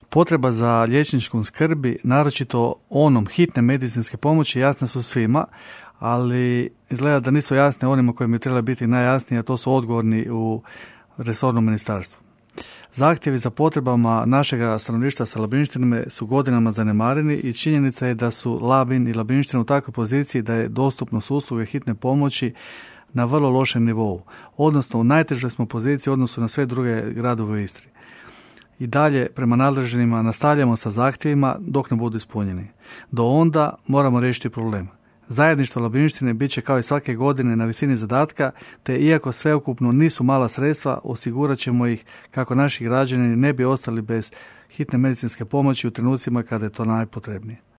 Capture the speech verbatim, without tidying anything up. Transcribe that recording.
Potreba za liječničkom skrbi, naročito onom hitne medicinske pomoći, jasne su svima, ali izgleda da nisu jasne onima kojima bi trebali biti najjasnije, a to su odgovorni u resornom ministarstvu. Zahtjevi za potrebama našega stanovništva sa Labinštinama su godinama zanemareni i činjenica je da su Labin i Labinština u takvoj poziciji da je dostupnost usluge hitne pomoći na vrlo lošem nivou, odnosno u najtežoj smo poziciji u odnosu na sve druge gradove u Istri. I dalje prema nadležnima nastavljamo sa zahtjevima dok ne budu ispunjeni. Do onda moramo riješiti problem. Zajedništvo Labinštine bit će kao i svake godine na visini zadatka, te iako sveukupno nisu mala sredstva, osigurat ćemo ih kako naši građani ne bi ostali bez hitne medicinske pomoći u trenucima kada je to najpotrebnije.